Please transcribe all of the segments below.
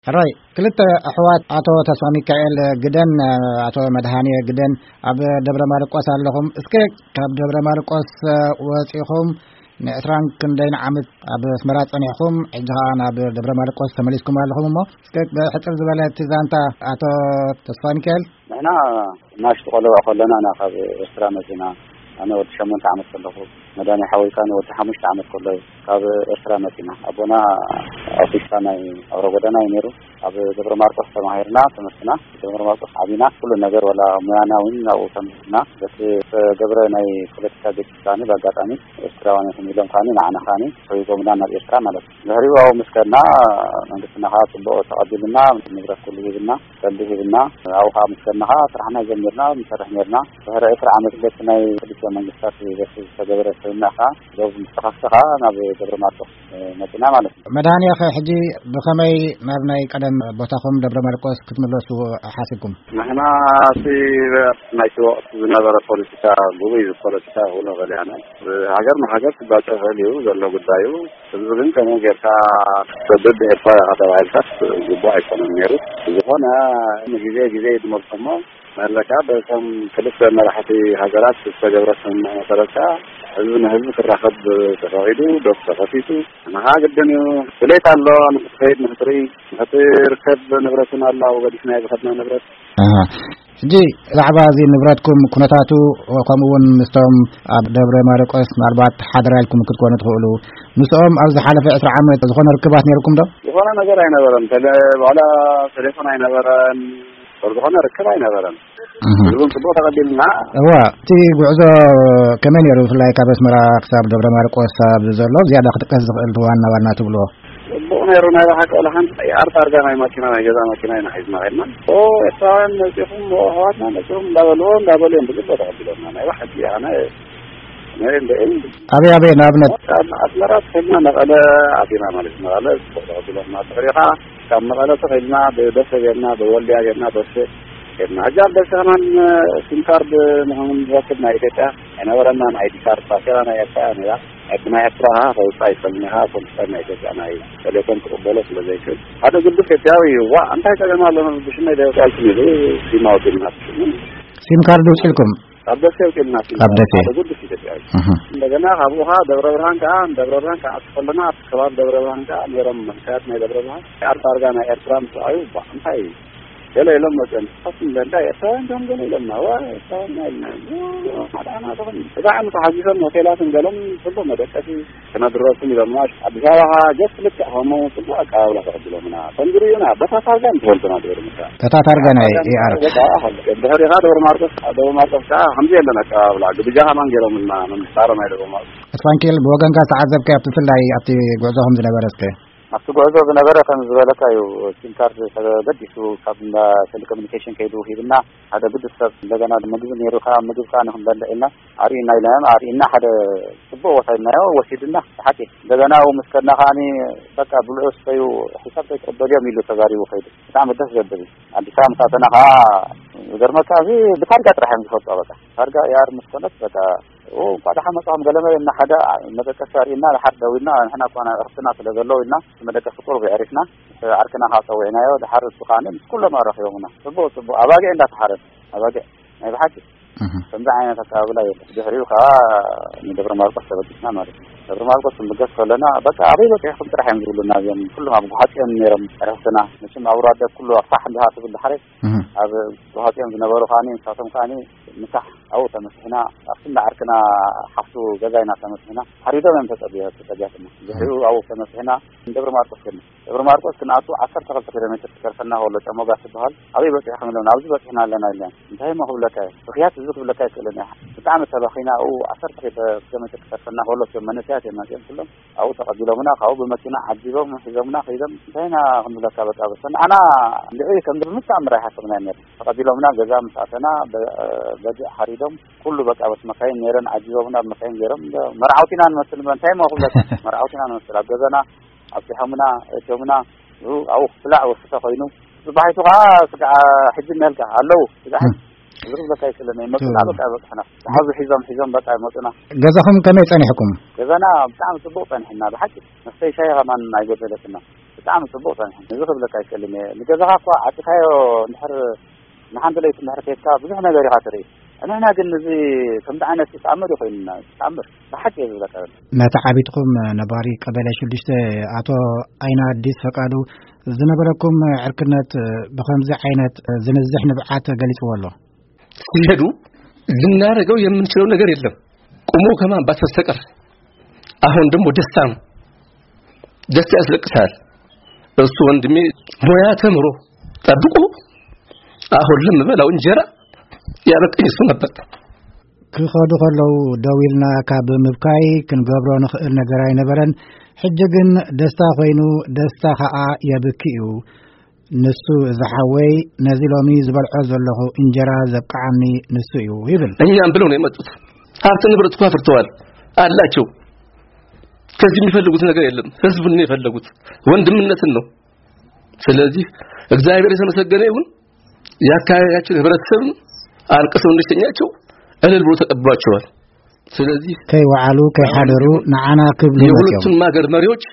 ሕራይ ክልተ ኣሕዋት ኣቶ ተስፋ ሚካኤል ግደን ኣቶ መድሃንየ ግደን ኣብ ደብረ ማርቆስ ኣለኹም። እስከ ካብ ደብረ ማርቆስ ወፂኹም ንዕስራን ክንደይን ዓመት ኣብ ኣስመራ ፀኒሕኩም፣ ሕጂ ከዓ ናብ ደብረ ማርቆስ ተመሊስኩም ኣለኹም። እሞ እስከ ብሕፅር ዝበለ እቲ ዛንታ ኣቶ ተስፋ ሚካኤል። ንሕና ናሽቲ ቆልዑ ከለና ኢና ካብ ኤርትራ መጺና። ኣነ ወዲ ሸሞንተ ዓመት ከለኹ፣ መድሃኔ ሓወይ ከኣ ወዲ ሓሙሽተ ዓመት ከሎ እዩ ካብ ኤርትራ መጺና። ኣቦና ኣውቲስታ ናይ ኣውራ ጎዳና እዩ ነይሩ። ኣብ ደብረ ማርቆስ ተማሂርና ትምህርትና፣ ደብረ ማርቆስ ዓቢና። ኩሉ ነገር፣ ወላ ሙያና እውን ኣብኡ ተምሂርና። በቲ ዝተገብረ ናይ ፖለቲካ ግጭት ከኣ ብኣጋጣሚ ኤርትራውያን ኢኹም ኢሎም ከኣ ንዓና ከኣ ሰጒጎምና ናብ ኤርትራ ማለት እዩ። ድሕሪኡ ኣብኡ ምስ ከድና መንግስትና ከኣ ጽቡቕ ተቐቢሉና፣ ንብረት ኩሉ ሂብና። ቀልዲ ሂብና፣ ኣብኡ ኸዓ ምስ ከድና ኸዓ ስራሕና ጀሚርና፣ ንሰርሕ ኔርና። ድሕሪ ዕስራ ዓመት በቲ ናይ ክልቲኦም መንግስታት በቲ ዝተገበረ ስምምዕ ኸዓ፣ ዶብ ምስ ተኸፍተ ኸዓ ናብ ደብረ ማርቆስ መጺና ማለት እዩ። መድሃንየ፣ ኸ ሕጂ ብኸመይ ናብ ናይ ቀደም ቦታኹም ደብረ ማርቆስ ክትምለሱ ሓሲብኩም? ንሕና እቲ ናይቲ ወቕቲ ዝነበረ ፖለቲካ፣ ግጉይ ፖለቲካ ክብሎ እኽእል እየ ኣነ። ሃገር ንሃገር ክጋጨ ይኽእል እዩ ዘሎ ጉዳዩ። ህዝቢ ግን ከመይ ጌርካ ክትሰድድ ኤርትራ ኢኻ ተባሂልካስ ግቡእ ኣይኮነን ነይሩ። ዝኾነ ንግዜ ግዜ ይድመልኩ እሞ፣ መለካ በቶም ክልተ መራሕቲ ሃገራት ዝተገብረ ስምምዕ መሰረት ከኣ ህዝቢ ንህዝቢ ክራኸብ ተፈቒዱ፣ ዶብ ተኸፊቱ፣ ንኻ ግድን እዩ። ድሌት ኣሎ ንኽትኸይድ፣ ንኽትርኢ፣ ንኽትርከብ ንብረት እውን ኣሎ፣ ኣብኡ ገዲፍናዮ ዝኸድና ንብረት። ኣሃ። ሕጂ ብዛዕባ እዚ ንብረትኩም ኩነታቱ፣ ከምኡ እውን ምስቶም ኣብ ደብረ ማርቆስ ምናልባት ሓደራ ኢልኩም ክትኮኑ ትኽእሉ፣ ምስኦም ኣብ ዝሓለፈ ዕስራ ዓመት ዝኾነ ርክባት ነይርኩም ዶ? ዝኾነ ነገር ኣይነበረን። ተለ-፣ ዋላ ቴሌፎን ኣይነበረን። ዝኾነ ርክብ ኣይነበረን። እህ። ህዝቡን ጽቡቕ ተቐቢልና። እዋ፣ እቲ ጉዕዞ ከመይ ነይሩ? ብፍላይ ካብ ኣስመራ ክሳብ ደብረ ማርቆስ ኣብ ዘሎ ዝያዳ ክጥቀስ ዝኽእል ዋና ዋና ትብልዎ? ጽቡቕ ነይሩ። ናይ ብሓቂ፣ ወላ ሓንቲ ኣር ታርጋ ናይ ማኪና፣ ናይ ገዛ ማኪና ኢና ሒዝና ኸድና። ኦ፣ ኤርትራውያን መጺኹም፣ ኦ፣ ኣሕዋትና መጺኹም እንዳበልዎ፣ እንዳበሉ እዮም ብግቡእ ተቐቢሎምና። ናይ ብሓቂ ኣነ፣ ኣነ እንደ-፣ ኣበይ ኣበይ ንኣብነት? ኣብ ኣስመራ ተኸድና መቐለ ኣቲና ማለት እዩ። መቐለ ጽቡቕ ተቐቢሎምና። ድሕሪኡ ኸዓ ካብ መቐለ ተኸድና ብደሴ ጌርና፣ ብወልድያ ጌርና፣ ደሴ ጌርና። ሕጂ ኣብ ደሴ ከማን ሲም ካርድ ንኽንረክብ ናይ ኢትዮጵያ ኣይነበረናን። ኣይዲ ካርድ፣ ባጤራ ናይ ኤርትራ እያ ነይራ። ሕጂ ናይ ኤርትራ ከኣ ከውጽእ ኣይክእልን ኢኻ፣ ኮምፒተር ናይ ኢትዮጵያ ናይ ቴሌኮም ክቕበሎ ስለ ዘይክእል፣ ሓደ ግዱስ ኢትዮጵያዊ እዩ። ዋእ፣ እንታይ ጸገም ኣሎ? ብሽመይ ዶ የውጽኣልኩም ኢሉ ሲም ኣውጺእልና። ሲም ካርድ ውጽኢልኩም? ካብ ደሴ ኣውጺእልና ሲም ኣብ ካርድ፣ ደሴ? ሓደ ግዱስ ኢትዮጵያዊ። እህ። እንደገና ካብኡ ከኣ ደብረ ብርሃን ከኣ፣ ደብረ ብርሃን ከኣ ከለና ኣብቲ ከባቢ ደብረ ብርሃን ከኣ ነይሮም መንእሰያት ናይ ደብረ ብርሃን። ኣር ታርጋ ናይ ኤርትራ ምስ ረኣዩ፣ ባ፣ እንታይ እዩ? ገለ ኢሎም መጽኦም። ንስኻትኩም እንታይ ኤርትራውያን ዲኹም ገለ ኢሎምና። ዋ፣ ኤርትራውያን ኢልና። ሓደ ዓመት ኾን። እዛ ዓመት ተሓጒሶም ሆቴላትን ገሎም ጽቡቕ መደቀሲ ክነድረኩም ኢሎምና። ኣዲስ ኣበባ ኸዓ ጀስት ልክዕ ከምኡ ጽቡቕ ኣቀባብላ ተቐቢሎምና። ተንግርዩና፣ በታ ታርጋ ንፈልጡና ድሕሪ ምሳ። በታ ታርጋ ናይ ታርጋ ኤኣር። በታ፣ ድሕሪ ኸዓ ደብረ ማርቆስ፣ ደብረ ማርቆስ ከኣ ከምዚ የለን ኣቀባብላ። ግብጃ ከማን ገይሮምልና፣ መምሳሮም ናይ ደብረ ማርቆስ። ኣስፋንኬል፣ ብወገንካ ዝተዓዘብካዮ ኣብቲ፣ ብፍላይ ኣብቲ ጉዕዞኹም ዝነበረ እስከ? ኣብቲ ጉዕዞ ዝነበረ ከም ዝበለካ እዩ። ሲም ካርድ ተገዲሱ ካብ እንዳ ቴሌኮሙኒኬሽን ከይዱ ሂብና፣ ሓደ ግዱስ ሰብ። እንደገና ምግቢ ነይሩ፣ ካብ ምግቢ ከዓ ንክንበልዕ ኢልና ኣርእዩና ኢልና እዮም ኣርእዩና። ሓደ ጽቡቕ ቦታ ኢልናዮ፣ ወሲዱና ብሓቂ። እንደገና ኣብኡ ምስ ከድና ከዓኒ በቃ ብልዑ ስተዩ፣ ሒሳብ ከይትቕበልዮም ኢሉ ተዛሪቡ ከይዱ። ብጣዕሚ ደስ ዘብል እዩ። ኣዲስ ኣበባ ምስ ኣተና ከዓ ዝገርመካ እዚ ብታርጋ ጥራሕ እዮም ዝፈልጦ። በቃ ታርጋ ኤኣር ምስ ኮነት በቃ ኦ፣ እንኳዕ ደሓን መጻኹም ገለ መለ እና ሓደ መደቀሲ ኣርእዩና፣ ድሓር ደዊልና፣ ንሕና እኳ ናይ ዕርፍትና ስለ ዘለዉ ኢልና፣ እቲ መደቀሲ ቁሩብ የዕሪፍና፣ ምስ ዓርክና ከዓ ጸዊዕናዮ፣ ድሓር እሱ ከዓኒ ምስ ኩሎም ኣራኺቦምና። ጽቡቕ፣ ጽቡቕ፣ ኣባጊዕ እንዳተሓረደ፣ ኣባጊዕ፣ ናይ ብሓቂ። እህ። ከምዚ ዓይነት ኣቀባብላ የለን። ድሕሪኡ ከዓ ንደብረ ማርቆስ ተበጊስና ማለት እዩ። ደብረ ማርቆስ ክንብገስ ከለና፣ በቃ፣ ኣበይ በጺሕኩም ጥራሕ እዮም ዝብሉና እዚኦም። ኩሎም ኣብ ጎሓጽ እዮም ነይሮም፣ ዕርፍትና። መቸም ኣብ ራደ ኩሉ ኣብ ፋሕ እንዲኻ ትብል ድሓረይ፣ እህ። ኣብ ጎሓጽ እዮም ዝነበሩ ከዓኒ፣ ንሳቶም ከዓኒ ምሳሕ ኣብኡ ተመሲሕና፣ ኣብቲ እንዳ ዓርክና ሓፍቱ ገዛ ኢና ተመሲሕና። ሓሪዶም እዮም ተጸብዮ-፣ ተጸብያትና። ድሕሪኡ ኣብኡ ተመሲሕና ንደብረ ማርቆስ ከድና። ደብረ ማርቆስ ክንኣቱ ዓሰርተ ክልተ ኪሎ ሜትር ክተርፈና ከሎ ጨሞጋ ትበሃል። ኣበይ በጺሕኩም ኢሎም፣ ኣብዚ በጺሕና ኣለና ኢሎም። እንታይ እሞ ክብለካ እየ? ብኽያት እዚ ክብለካ ኣይክእልን እየ። ብጣዕሚ ተባኺና፣ ኣብኡ ዓሰርተ ኪሎ ሜትር ክተርፈና ከሎ እቶም መንእሰያት እዮም መጺኦም ኩሎም። ኣብኡ ተቐቢሎምና፣ ካብኡ ብመኪና ዓጂቦም ሒዞምና ከይዶም፣ እንታይ ኢና ክንብለካ፣ በቃ፣ በሰ ንዓና ልዕሊ ከምዚ ብምተኣምር ኣይሓሰብናዮን ነርና። ተቐቢሎምና፣ ገዛ ምስ ኣተና፣ በ-፣ በጊዕ ሓሪዶም፣ ኩሉ በቃ፣ በቲ መካይን ነይረን፣ ዓጂቦምና፣ ብመካይን ገይሮም፣ መርዓውቲ ኢና ንመስል፣ እንታይ እሞ ክብለካ፣ መርዓውቲ ኢና ንመስል። ኣብ ገዛና ኣብጺሖምና፣ እትዮምና፣ ኣብኡ ክብላዕ ወስተ ኮይኑ፣ ጽባሒቱ ከኣ ስጋዕ ሕጂ እኒሀልካ ኣለዉ፣ ስጋዕ ሕጂ። እም። እዚ ክብለካ ኣይክእልን እየ። መጡና፣ ቱ- በቃ፣ በጽሕና። ዝሓዙ ሒዞም፣ ሒዞም፣ በቃ፣ መጡና። ገዛኹም ከመይ ጸኒሕኩም? ገዛና ብጣዕሚ ጽቡቕ ጸኒሕና፣ ብሓቂ። መስተይ ሻሂ ከማን ኣይጎደለትና። ብጣዕሚ ጽቡቕ ጸኒሑ። እዚ ክብለካ ኣይክእልን እየ። ንገዛኻ እኳ ዓጺኻዮ እንድሕር ንሓንቲ ለይቲ እንድሕር ከይድካ ብዙሕ ነገር ኢኻ ትርኢ። ንሕና ግን እዚ ከምዚ ዓይነት ተኣምር እዩ ኮይኑና፣ ተኣምር ብሓቂ እየ ዝብለካ ዘሎ። ነቲ ዓቢትኩም ነባሪ ቀበሌ ሽዱሽተ ኣቶ ኣይና ኣዲስ ፈቃዱ ዝነበረኩም ዕርክነት ብኸምዚ ዓይነት ዝንዝሕ ንብዓት ገሊጽዎ ኣሎ። ሲሄዱ ልናደርገው የምንችለው ነገር የለም። ቁሞ ከማንባት በስተቀር። አሁን ደግሞ ደስታ ነው። ደስታ ያስለቅሳል። እሱ ወንድሜ ሙያ ተምሮ ጠብቆ አሁን ለምበላው እንጀራ ያበቀኝ እሱ ነበር። ክኸዱ ከለዉ ደው ኢልና ካብ ምብካይ ክንገብሮ ንኽእል ነገር ኣይነበረን። ሕጂ ግን ደስታ ኮይኑ፣ ደስታ ኸኣ የብኪ እዩ። ንሱ፣ እዚ ሓወይ፣ ነዚ ሎሚ ዝበልዖ ዘለኹ እንጀራ ዘብቅዓኒ ንሱ እዩ ይብል። እኛም ብለው ነው የመጡት። ሀብት ንብረት እኮ አፍርተዋል አላቸው። ከዚህ የሚፈልጉት ነገር የለም። ህዝቡን ነው የፈለጉት፣ ወንድምነትን ነው። ስለዚህ እግዚአብሔር የተመሰገነ ይሁን። የአካባቢያችን ህብረተሰብም አልቅሰው እንደሸኛቸው እልል ብሎ ተቀብሏቸዋል። ስለዚህ ከይወዓሉ ከይሓደሩ ንዓና ክብሉ መፅዮም። የሁለቱም ሀገር መሪዎች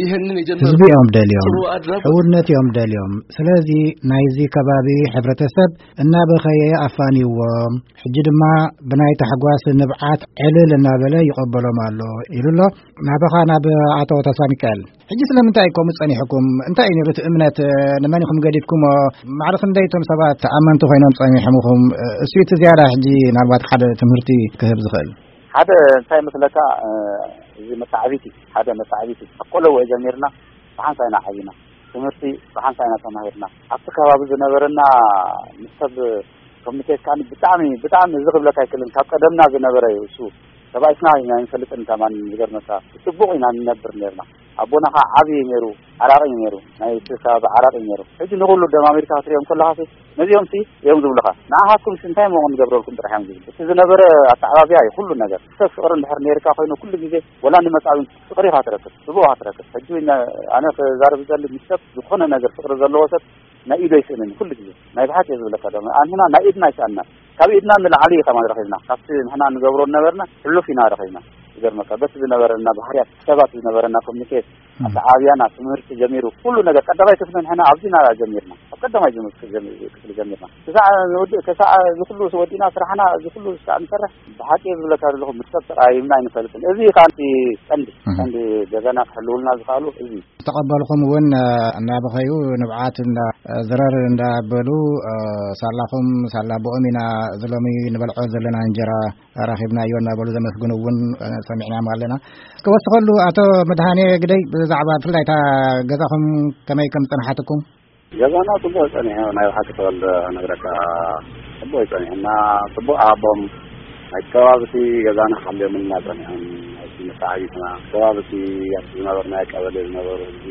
ይህንን የጀመሩት ህዝቢ እዮም ደልዮም፣ ጥሩ አድራጎት ሕውነት እዮም ደልዮም። ስለዚ ናይዚ ከባቢ ሕብረተሰብ እናበኸየ ኣፋንይዎም፣ ሕጂ ድማ ብናይ ታሕጓስ ንብዓት ዕልል እናበለ ይቐበሎም ኣሎ ኢሉ ኣሎ። ናባኻ ናብ ኣቶ ተስፋ ሚካኤል። ሕጂ ስለምንታይ ከምኡ ጸኒሕኩም? እንታይ እዩ ነይሩ እቲ እምነት? ንመን ኢኹም ገዲፍኩሞ? ማዕረ ክንደይ እቶም ሰባት ኣመንቲ ኮይኖም ጸኒሖምኹም? እሱ እቲ ዝያዳ ሕጂ ናልባት ሓደ ትምህርቲ ክህብ ዝኽእል። ሓደ እንታይ መስለካ፣ እዚ መተዓቢቲ፣ ሓደ መተዓቢቲ፣ ካብ ቆለዎ ጀሚርና ብሓንሳእ ኢና ዓቢና። ትምህርቲ ብሓንሳእ ኢና ተማሂርና። ኣብቲ ከባቢ ዝነበረና ምስ ሰብ ኮሚኒኬት ከኣ ብጣዕሚ፣ ብጣዕሚ እዚ ክብለካ ኣይክእልን። ካብ ቀደምና ዝነበረ እዩ እሱ። ተባኢስና ኢና ኣይንፈልጥን ከማን ዝገርመካ። ጽቡቕ ኢና ንነብር ነርና። ኣቦና ከኣ ዓቢ እዩ ነይሩ፣ ዓራቒ እዩ ነይሩ። ናይ እቲ ከባቢ ዓራቒ እዩ ነይሩ። ሕጂ ንኹሉ ደም ኣሜሪካ ክትሪኦም ከለኻሲ፣ ነዚኦምሲ እዮም ዝብሉኻ። ንዓኻትኩምሲ እንታይ እሞ ክንገብረልኩም ጥራሕ እዮም ዝብሉ። እቲ ዝነበረ ኣተዓባብያ እዩ ኩሉ ነገር። ሰብ ፍቕሪ እንድሕር ነይርካ ኮይኑ ኩሉ ግዜ ወላ ንመጻብን ፍቕሪ ኢኻ ትረክብ፣ ጽቡቕ ኢኻ ትረክብ። ሕጂ ነ-፣ ኣነ ክዛረብ ዝደሊ ምስ ሰብ ዝኾነ ነገር ፍቕሪ ዘለዎ ሰብ ናይ ኢዱ ኣይስእንን ኩሉ ግዜ። ናይ ብሓቂ እየ ዝብለካ ደሞ። ኣንሕና ናይ ኢድና ኣይሰኣንናን። ካብ ኢድና ንላዕሊ እዩ ከማን ረኺብና። ካብቲ ንሕና ንገብሮ ዝነበርና ሕሉፍ ኢና ረኺብና። ይገርመካ፣ በቲ ዝነበረና ባህርያት፣ ሰባት ዝነበረና ኮሚኒኬት፣ ኣተዓብያና፣ ትምህርቲ ጀሚሩ፣ ኩሉ ነገር ቀዳማይ ክፍሊ ንሕና ኣብዚና ጀሚርና። ኣብ ቀዳማይ ጀም-፣ ክፍሊ ጀሚርና። ክሳዕ ንወዲ-፣ ክሳዕ እዚ ኩሉ ወዲና ስራሕና፣ እዚ ኩሉ ክሳዕ ንሰርሕ፣ ብሓቂ እየ ዝብለካ ዘለኹ፣ ምስ ሰብ ተቀያይምና ኣይንፈልጥን። እዚ እዩ ከኣ እቲ ቀንዲ፣ እህ። ቀንዲ ገዛና ክሕልውልና ዝኽኣሉ እዚ እዩ። ዝተቐበልኹም እውን፣ እ፣ እናበኸዩ ንብዓት እንዳ፣ እ፣ ዝረር እንዳበሉ፣ እ፣ ሳላኹም ሳላ ብኦም ኢና እዚ ሎሚ ንበልዖ ዘለና እንጀራ ረኺብናዮ እናበሉ ዘመስግኑ እውን፣ እ፣ ሰሚዕናዮም ኣለና። እስከ ወስኸሉ ኣቶ መድሃኔ ግደይ ብዛዕባ ብፍላይ እታ ገዛኹም ከመይ ከም ዝጸንሓትኩም? ገዛና ጽቡቕ ጸኒሑ፣ ናይ ብሓቂ ተወልደ ነግረካ፣ ጽቡቕ ጸኒሑና፣ ጽቡቕ ኣቦም ናይቲ ከባቢ እቲ ገዛና ሓልዮምልና ጸኒሖም፣ ናይቲ መተዓቢትና ከባቢ እቲ ኣብቲ ዝነበርናዮ ቀበሌ ዝነበሩ ህዝቢ፣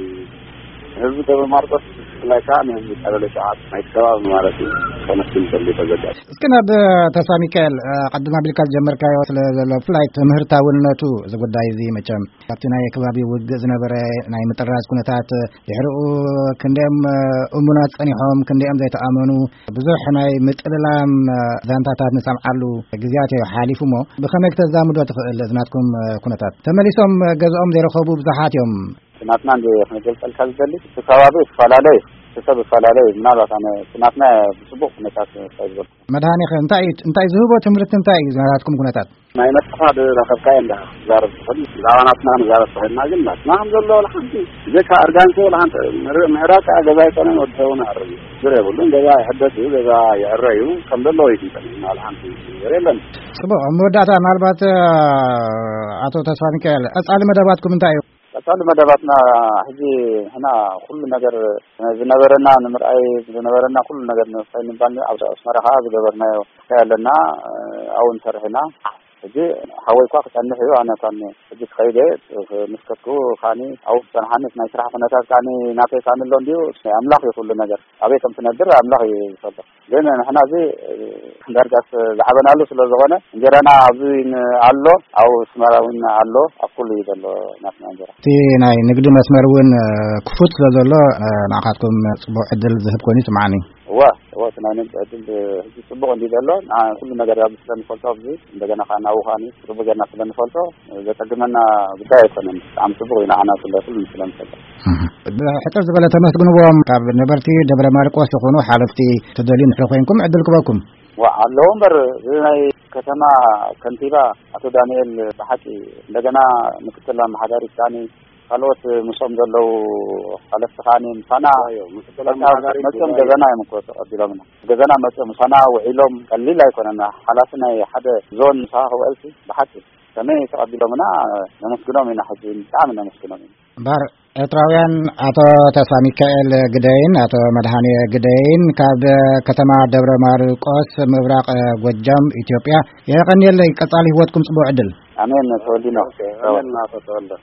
ህዝቢ ደብረ ማርቆስ ብፍላይ ከኣ ንህዝቢ ቀበሌ ሸውዓተ ናይቲ ከባቢ ማለት እዩ፣ ኮነክሽን ተልዩ ተዘጋጅ። እስኪ ናብ ተስፋ ሚካኤል፣ እ፣ ቀድም ኣቢልካ ዝጀመርካዮ ስለ ዘሎ ብፍላይ ትምህርታውነቱ እዚ ጉዳይ እዚ መቸም ኣብቲ ናይ ከባቢ ውግእ ዝነበረ ናይ ምጥራዝ ኩነታት ድሕሪኡ ክንደኦም እሙናት ጸኒሖም፣ ክንደኦም ዘይተኣመኑ፣ ብዙሕ ናይ ምጥልላም ዛንታታት ንሰምዓሉ ግዜያት እዩ ሓሊፉ እሞ፣ ብኸመይ ክተዛምዶ ትኽእል እዚ ናትኩም ኩነታት? ተመሊሶም ገዝኦም ዘይረኸቡ ብዙሓት እዮም። ናትና እንደ ክንገልጸልካ ዝደሊ፣ እቲ ከባቢ ይፈላለ እዩ፣ እቲ ሰብ ይፈላለ እዩ። ምናልባት ኣነ እቲ ናትና ብጽቡቕ ኩነታት እንታይ ዝበልኩ። መድሃኒኸ እንታይ እዩ፣ እንታይ ዝህቦ ትምህርቲ እንታይ እዩ ናትኩም ኩነታት? ናይ ነፍስኻ ዝረኸብካዮ እንዳ ትዛረብ ትኽእል። ብዛዕባ ናትና ክንዛረብ ተኾይንና ግን ናትና ከም ዘሎ ወላ ሓንቲ ብዘይካ እርጋንከ ወላ ሓንቲ ምር-፣ ምዕራብ ከኣ ገዛ ኣይኮነን ወዲ ሰብ እውን ኣዕርዩ። ችግር የብሉን። ገዛ ይሕደስ እዩ፣ ገዛ ይዕረ እዩ። ከም ዘለዎ እዩ ዝንጠልጥልና ወላ ሓንቲ ነገር የለን። ጽቡቕ። ኣብ መወዳእታ ምናልባት፣ እ፣ ኣቶ ተስፋ ሚካኤል፣ ቀጻሊ መደባትኩም እንታይ እዩ? ቀጻሊ መደባትና ሕጂ ንሕና ኩሉ ነገር ዝነበረና ንምርኣይ ዝነበረና ኩሉ ነገር ንምፍታይ ንምባል ኣብ ኣስመራ ከኣ ዝገበርናዮ እንታይ ኣለና፣ ኣብኡ ንሰርሕ ኢና። ሕጂ ሓወይ እኳ ክጸንሕ እዩ፣ ኣነ እኳ ሕጂ ክኸይድ እየ። ምስ ከድኩ ከኣኒ ኣብኡ ክጸንሓኒ ናይ ስራሕ ኩነታት ከኣኒ ናተይ ከኣኒ ኣሎ እንድዩ፣ ናይ ኣምላኽ እዩ ኩሉ ነገር። ኣበይ ከም ትነብር ኣምላኽ እዩ ዝፈልጥ። ግን ንሕና እዚ ዳርጋስ ዝዓበናሉ ስለ ዝኾነ እንጀራና ኣብዚ ን-፣ ኣሎ፣ ኣብ ኣስመራ እውን ኣሎ፣ ኣብ ኩሉ እዩ ዘሎ ናትና እንጀራ። እቲ ናይ ንግዲ መስመር እውን ክፉት ስለ ዘሎ ንዓኻትኩም ጽቡቕ ዕድል ዝህብ ኮይኑ ይስምዓኒ። እዋ እዋ እቲ ናይ ነምፂ ዕድል ሕጂ ፅቡቅ እንዲ ዘሎ ንዓ ኩሉ ነገር ኣብ ስለንፈልጦ ኣብዚ እንደገና ከዓ ናብኡ ከዓ ፅቡቅ ገርና ስለንፈልጦ ዘፀግመና ጉዳይ ኣይኮነን። ብጣዕሚ ፅቡቅ እዩ ንዓና ስለ ኩሉ ስለንፈልጦ። ሕፅር ዝበለ ተመስግንዎም ካብ ነበርቲ ደብረ ማርቆስ ዝኾኑ ሓለፍቲ ተደልዩ ንሕሪ ኮይንኩም ዕድል ክበኩም። ዋ ኣለዎ እምበር እዚ ናይ ከተማ ከንቲባ ኣቶ ዳንኤል ብሓቂ እንደገና ምክትል ኣመሓዳሪ ሳኒ ካልኦት ምስኦም ዘለዉ ሓለፍቲ ከዓኒ ምሳና መፅኦም ገዛና እዮም እኮ ተቐቢሎምና። ገዛና መፅኦም ምሳና ውዒሎም ቀሊል ኣይኮነና። ሓላፊ ናይ ሓደ ዞን ምሳኻ ክውዕልሲ ብሓቂ ከመይ ተቐቢሎምና ነመስግኖም ኢና። ሕጂ ብጣዕሚ ነመስግኖም ኢና። እምበር ኤርትራውያን ኣቶ ተስፋ ሚካኤል ግደይን ኣቶ መድሃኔ ግደይን ካብ ከተማ ደብረ ማርቆስ ምብራቕ ጎጃም ኢትዮጵያ የቐንየለይ። ቀጻሊ ህይወትኩም ጽቡቕ ዕድል። ኣሜን ተወልዲኖ። ኣሜን ናቶ ተወልደ።